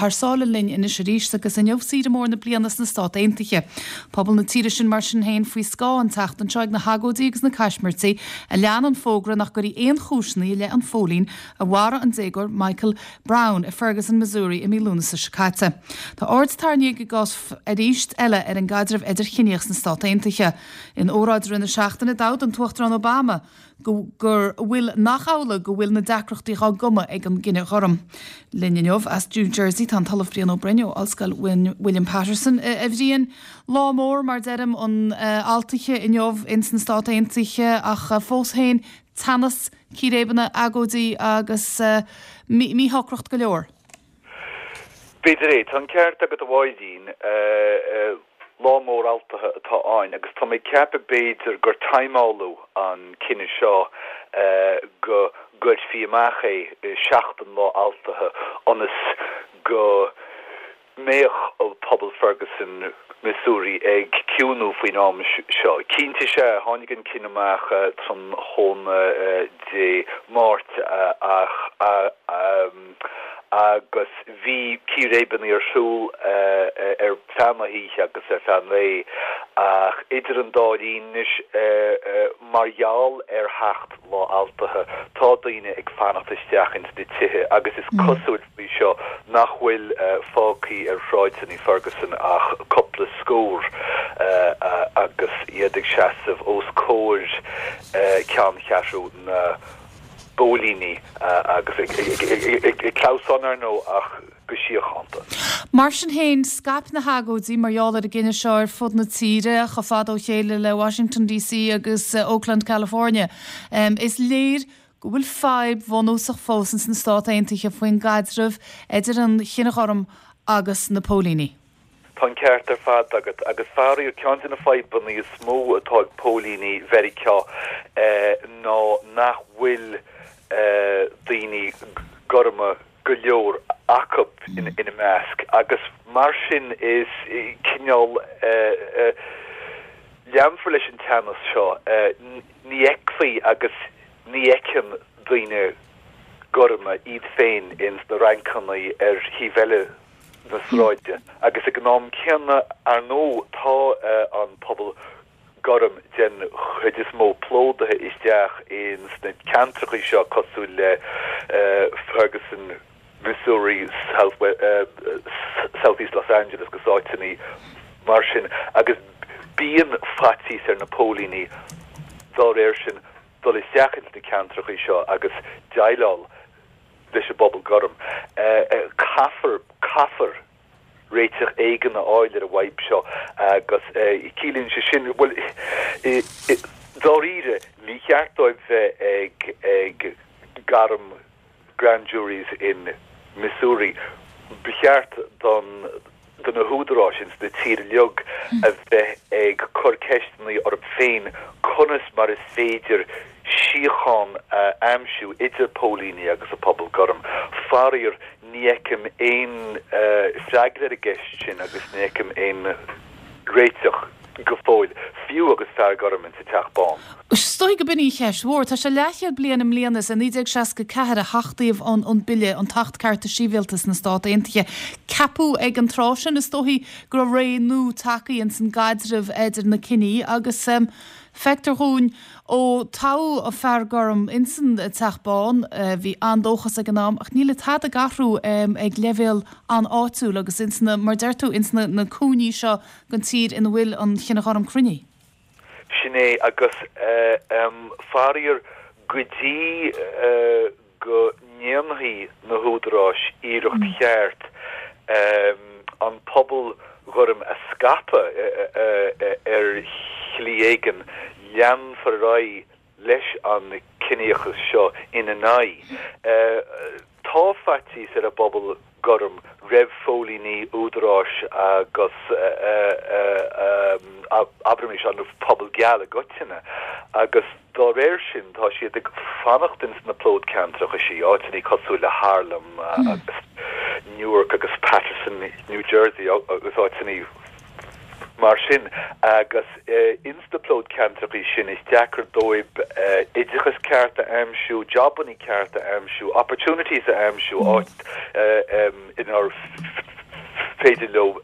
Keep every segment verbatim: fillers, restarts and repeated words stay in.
thar sáile linn anois arís agus inniu saoire mór na bliana sna Stáit Aontaithe. Pobal na tíre sin mar sin féin faoi scáth an tseachtain seo ag na hagóidí agus na caismirtí a lean an fógra nach gcuirfí aon chúiseanna i leith an phóilín a mharaigh an déagóir Michael Brown i Ferguson, Missouri i mí Lúnasa seo caite. Tá aird tarraingthe ag an gcás arís eile ar an gcaidreamh idirchiníoch sna Stáit Aontaithe. In óráid i rith na seachtaine d'admhaigh an tUachtarán Obama go gur bhfuil nach amhlaidh go bhfuil na deacrachtaí á gcumadh ag an gcine gorm. Linn inniu as New Jersey tá an tOllamh Brian Ó Broin ó Ollscoil William Patterson a Bhriain lá mór mar deirim an altaithe inniu ins na Stáit Aontaithe ach fós féin teannas círéibeanna agóidí agus míshocracht go leor. B'fhéidir é tá an ceart agat a Mháirín lá mór altaithe atá ann agus tá mé ag ceapadh b'fhéidir gur timeáladh an cinneadh seo go gcuirfí amach é seachtain lá altaithe ionas go mbeadh pobal Ferguson Missouri ag ciúnú faoin am seo. Cinnte sé tháinig an cinneadh amach tráthnóna Dé Máirt ach agus bhí círéibeanna ar siúl ar feadh na hoíche agus ar feadh an lae ach idir an dá linn mar gheall ar theacht lá altaithe tá daoine ag fanacht isteach ins na tithe agus is cosúil faoi seo nach bhfuil fágtha ar shráideanna Ferguson ach cúpla scór agus iad ag seasamh os comhair ceanncheathrú na bpóilíní agus ag clamhsán ar ndóigh ach go síochánta. Mar sin féin scaip na hagóidí mar gheall ar an gcinneadh seo ar fud na tíre chomh fada ó chéile le Washington DC agus Oakland, California. Um, is léir go bhfuil fadhb bhunúsach fós ins na Stáit Aontaithe faoin gcaidreamh idir an chine ghorm agus na póilíní. Tá an ceart ar fad agat agus faraor ceann de na fadhbanna is mó atá ag póilíní Mheiriceá eh, ná nach bhfuil eh, daoine gorma go leor acu in, ina measc agus mar sin is cineál eh, eh, leanfar leis an teannas seo eh, ní fheicfí agus ní fheiceann daoine gorma iad féin ins na rancanna ar thaobh eile na sráide agus ag an am céanna ar ndóigh tá uh, an pobal gorm den chuid is mó plódaithe isteach in sna ceantracha seo cosúil le uh, Ferguson, Missouri, South, uh, Southeast Los Angeles agus áiteanna mar sin agus bíonn faitíos ar na póilíní dá réir sin dul isteach ins na ceantracha seo agus déileáil leis an bpobal gorm. Uh, uh, caithfear caithfear réiteach éigin a fháil ar an bhfadhb seo agus ciallaíonn sé sin well dáiríre ní cheart dóibh bheith ag ag gairm grand juries in Missouri. Ba cheart don do na húdaráis ins na tír uilig a bheith ag cur ceisteanna orthu féin conas mar is féidir síocháin a aimsiú idir póilíní agus a pobal gorm. Faraor ní fheicim aon freagra ar an gceist sin agus ní fheicim aon réiteach go fóill fiú agus fear gorm sa Teach Bán. Stoi go binní cheis mhór Tá sé leathchéad bliain i mbliana is naoi déag seasca ceathair a hachtaíodh an an bille an tAcht Cearta Sibhialta sna Stáit Aontaithe. Ceapadh ag an tráth sin is dóichí go raibh ré nua tagtha ins an gcaidreamh idir na ciní agus um, feictear dúinn ó toghadh an fear gorm insan Teach Bán bhí an-dóchas ag an am ach níl tada ag athrú um, ag leibhéal an-áitiúil agus ins na mar deir tú ins na, na cúinní seo den tír ina bhfuil an chine ghorm cruinní. Sin é agus uh, um, faraor go dtí uh, go ndéanfaidh na húdaráis iarracht mm. cheart um, an pobal gorm a scaipeadh uh, uh, ar shlí éigin leanfar ar aghaidh leis an ciníochas seo ina n-aghaidh. Uh, tá faitíos ar an bpobal gorm roimh phóilíní údaráis agus abraimis an pobal geal i gcoitinne agus dá réir sin tá siad ag fanacht ins na plódcheantracha sí áiteanna cosúil le Harlem agus Newark agus Paterson, New Jersey agus áiteanna mar sin agus ins na plódcheantracha sin is deacair dóibh oideachas ceart a aimsiú, jobanna ceart a aimsiú, opportunities a aimsiú áit inar féidir leo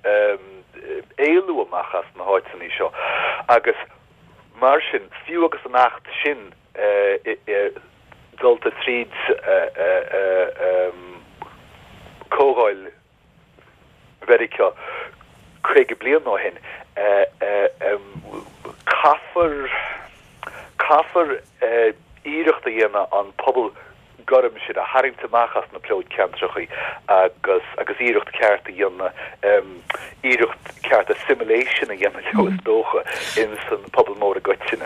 éalú amach as na háiteanna seo. Agus mar sin fiú agus an acht sin dulta tríd Comhdháil Mheiriceá caoga bliain ó shin caithfear caithfear iarracht a dhéanamh an pobal gorm sin a tharraingt amach as na plódcheantracha agus agus iarracht ceart a dhéanamh iarracht ceart assimilation a dhéanamh leo is dócha in san pobal mór i gcoitinne.